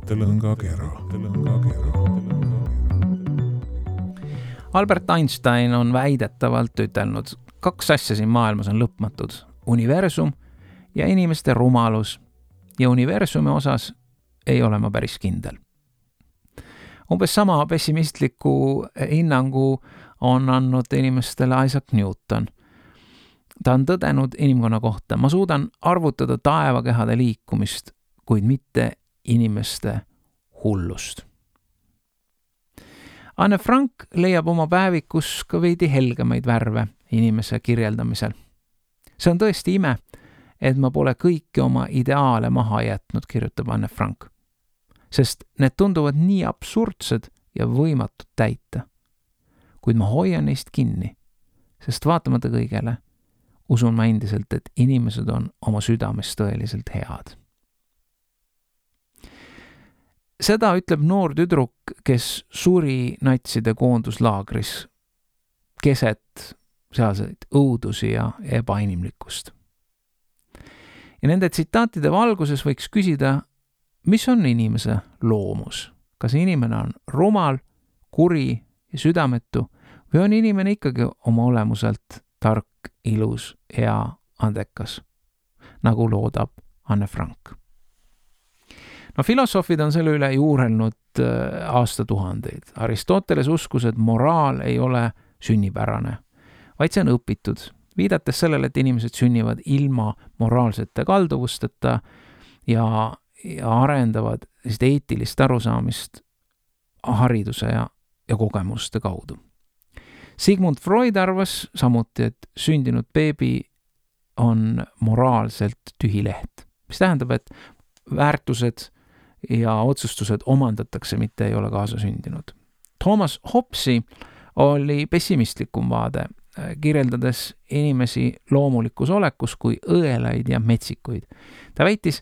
mõttelõngakera. Albert Einstein on väidetavalt ütelnud, 2 asja siin maailmas on lõpmatud. Universum ja inimeste rumalus. Ja universumi osas ei ole ma päris kindel. Umbes sama pessimistliku hinnangu on andnud inimestele Isaac Newton. Ta on tõdenud inimkonna kohta. Ma suudan arvutada taevakehade liikumist, kuid mitte inimeste hullust. Anne Frank leiab oma päevikus ka veidi helgemaid värve inimese kirjeldamisel. See on tõesti ime, et ma pole kõiki oma ideaale maha jätnud, kirjutab Anne Frank. Sest need tunduvad nii absurdsed ja võimatud täita. Kuid ma hoian neist kinni, sest vaatamata kõigele usun ma endiselt, et inimesed on oma südames tõeliselt head. Seda ütleb noor tüdruk, kes suri natside koonduslaagris keset sealseid õudusi ja ebainimlikkust. Ja nende tsitaatide valguses võiks küsida, mis on inimese loomus? Kas inimene on rumal, kuri ja südametu või on inimene ikkagi oma olemuselt tark, ilus, hea, andekas, nagu loodab Anne Frank? No filosoofid on selle üle juurelnud aastatuhandeid. Aristoteles uskus, et moraal ei ole sünnipärane, vaid see on õpitud, viidates sellele, et inimesed sünnivad ilma moraalsete kalduvusteta ja arendavad eetilist arusaamist hariduse ja kogemuste kaudu. Sigmund Freud arvas samuti, et sündinud beebi on moraalselt tühi leht, mis tähendab, et väärtused ja otsustused omandatakse, mitte ei ole kaasa sündinud. Thomas Hobbesi oli pessimistlikum vaade, kirjeldades inimesi loomulikus olekus kui õelaid ja metsikuid. Ta väitis,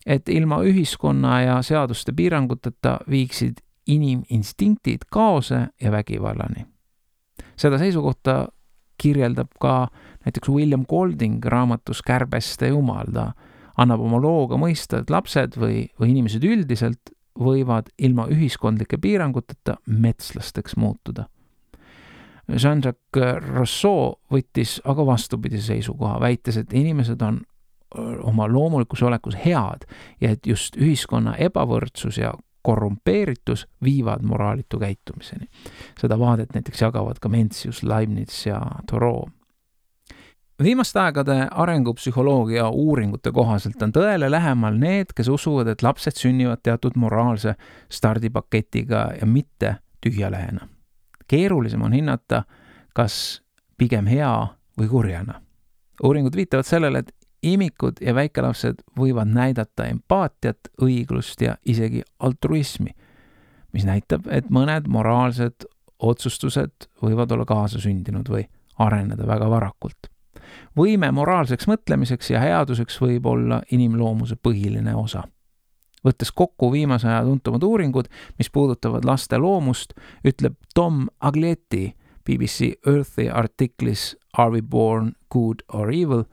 et ilma ühiskonna ja seaduste piiranguteta viiksid iniminstinktid kaose ja vägivallani. Seda seisukohta kirjeldab ka näiteks William Golding raamatus Kärbeste jumal. Ta annab oma looga mõista, et lapsed või inimesed üldiselt võivad ilma ühiskondlike piiranguteta metslasteks muutuda. Jean-Jacques Rousseau võttis aga vastupidise seisukoha, väites, et inimesed on oma loomulikus olekus head ja et just ühiskonna ebavõrdsus ja korrumpeeritus viivad moraalitu käitumiseni. Seda vaadet näiteks jagavad ka Mencius, Leibniz ja Thoreau. Viimaste aegade arengupsühholoogia uuringute kohaselt on tõele lähemal need, kes usuvad, et lapsed sünnivad teatud moraalse stardipaketiga ja mitte tühjalehena. Keerulisem on hinnata, kas pigem hea või kurjana. Uuringud viitavad sellele, et imikud ja väikelapsed võivad näidata empaatiat, õiglust ja isegi altruismi, mis näitab, et mõned moraalsed otsustused võivad olla kaasasündinud või areneda väga varakult. Võime moraalseks mõtlemiseks ja headuseks võib olla inimloomuse põhiline osa. Võttes kokku viimase aja tuntumad uuringud, mis puudutavad laste loomust, ütleb Tom Aglietti BBC Earthy artiklis Are we born good or evil?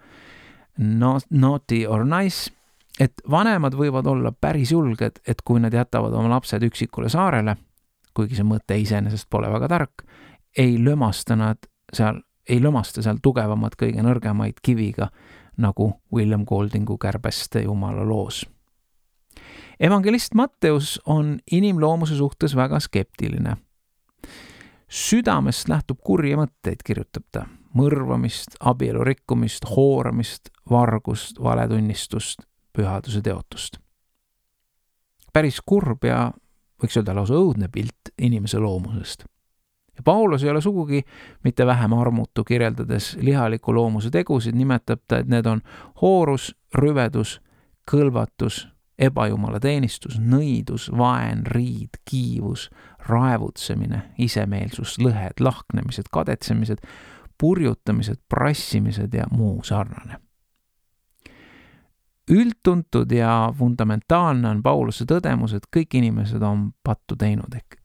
Naughty or nice, et vanemad võivad olla päris julged, et kui nad jätavad oma lapsed üksikule saarele, kuigi see mõte iseenesest pole väga tark, ei lömasta seal tugevamat kõige nõrgemaid kiviga, nagu William Goldingu Kärbeste jumala loos. Evangelist Matteus on inimloomuse suhtes väga skeptiline. Südamest lähtub kurje mõtteid, kirjutab ta. Mõrvamist, abielu rikkumist, hooramist, vargust, valetunnistust, pühaduse teotust. Päris kurb ja võiks öelda lausa õudne pilt inimese loomusest. Ja Paulus ei ole sugugi mitte vähem armutu, kirjeldades lihaliku loomuse tegusid, nimetab ta, et need on hoorus, rüvedus, kõlvatus, ebajumala teenistus, nõidus, vaen, riid, kiivus, raevutsemine, isemeelsus, lõhed, lahknemised, kadetsemised, purjutamised, prassimised ja muu sarnane. Üldtuntud ja fundamentaalne on Pauluse tõdemus, et kõik inimesed on pattu teinud ehk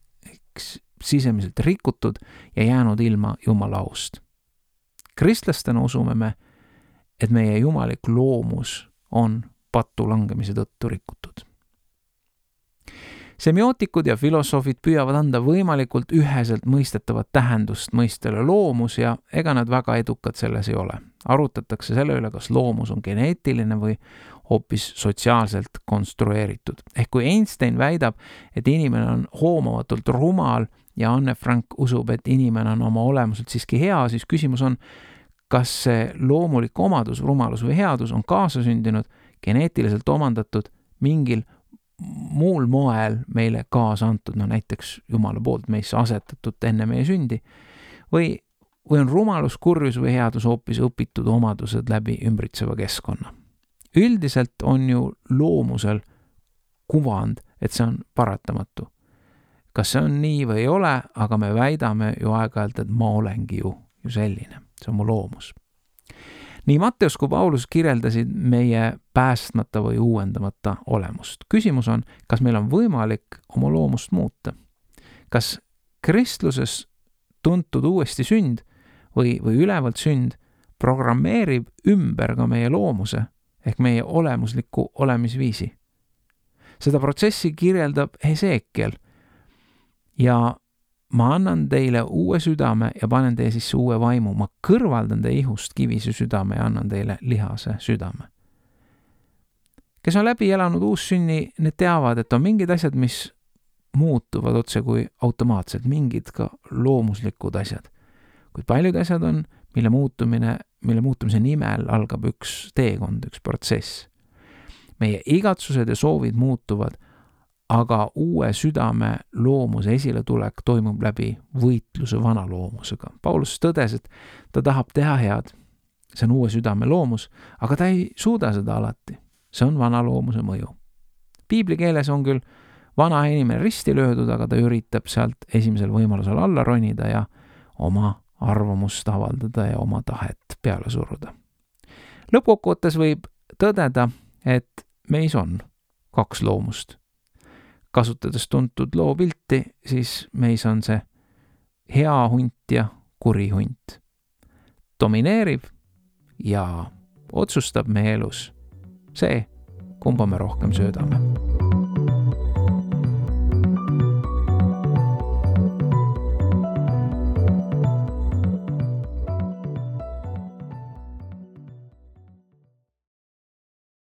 sisemiselt rikutud ja jäänud ilma Jumala aust. Kristlastena usume me, et meie jumalik loomus on pattu langemise tõttu rikutud. Semiootikud ja filosoofid püüavad anda võimalikult üheselt mõistetavat tähendust mõistele loomus ja ega nad väga edukad selles ei ole. Arutatakse selle üle, kas loomus on geneetiline või hoopis sotsiaalselt konstrueeritud. Ehk kui Einstein väidab, et inimene on hoomavatult rumal ja Anne Frank usub, et inimene on oma olemuselt siiski hea, siis küsimus on, kas see loomulik omadus, rumalus või headus on kaasasündinud, geneetiliselt omandatud, mingil muul moel meile kaasa antud, näiteks Jumala poolt meisse asetatud enne meie sündi, või on rumalus, kurjus või headus hoopis õpitud omadused läbi ümbritseva keskkonna. Üldiselt on ju loomusel kuvand, et see on paratamatu. Kas see on nii või ei ole, aga me väidame ju aeg-ajalt, et ma olengi ju selline. See on mu loomus. Nii Matteus kui Paulus kirjeldasid meie päästmata või uuendamata olemust. Küsimus on, kas meil on võimalik oma loomust muuta? Kas kristluses tuntud uuesti sünd või ülevalt sünd programmeerib ümber ka meie loomuse ehk meie olemusliku olemisviisi? Seda protsessi kirjeldab Hesekiel ja ma annan teile uue südame ja panen teie sisse uue vaimu. Ma kõrvaldan teie ihust kivise südame ja annan teile lihase südame. Kes on läbi elanud uussünni, need teavad, et on mingid asjad, mis muutuvad otse kui automaatselt, mingid ka loomuslikud asjad. Kuid paljud asjad on, mille muutumise nimel algab üks teekond, üks protsess. Meie igatsused ja soovid muutuvad, aga uue südame loomuse esiletulek toimub läbi võitluse vana loomusega. Paulus tõdes, et ta tahab teha head. See on uue südame loomus, aga ta ei suuda seda alati. See on vana loomuse mõju. Piibli keeles on küll vana inimene risti löödud, aga ta üritab sealt esimesel võimalusel alla ronida ja oma arvamust avaldada ja oma tahet peale suruda. Lõppkokkuvõttes võib tõdeda, et meis on 2 loomust. Kasutades tuntud loopilti, siis meis on see hea hunt ja kuri hunt. Domineerib ja otsustab meie elus see, kumba me rohkem söödame.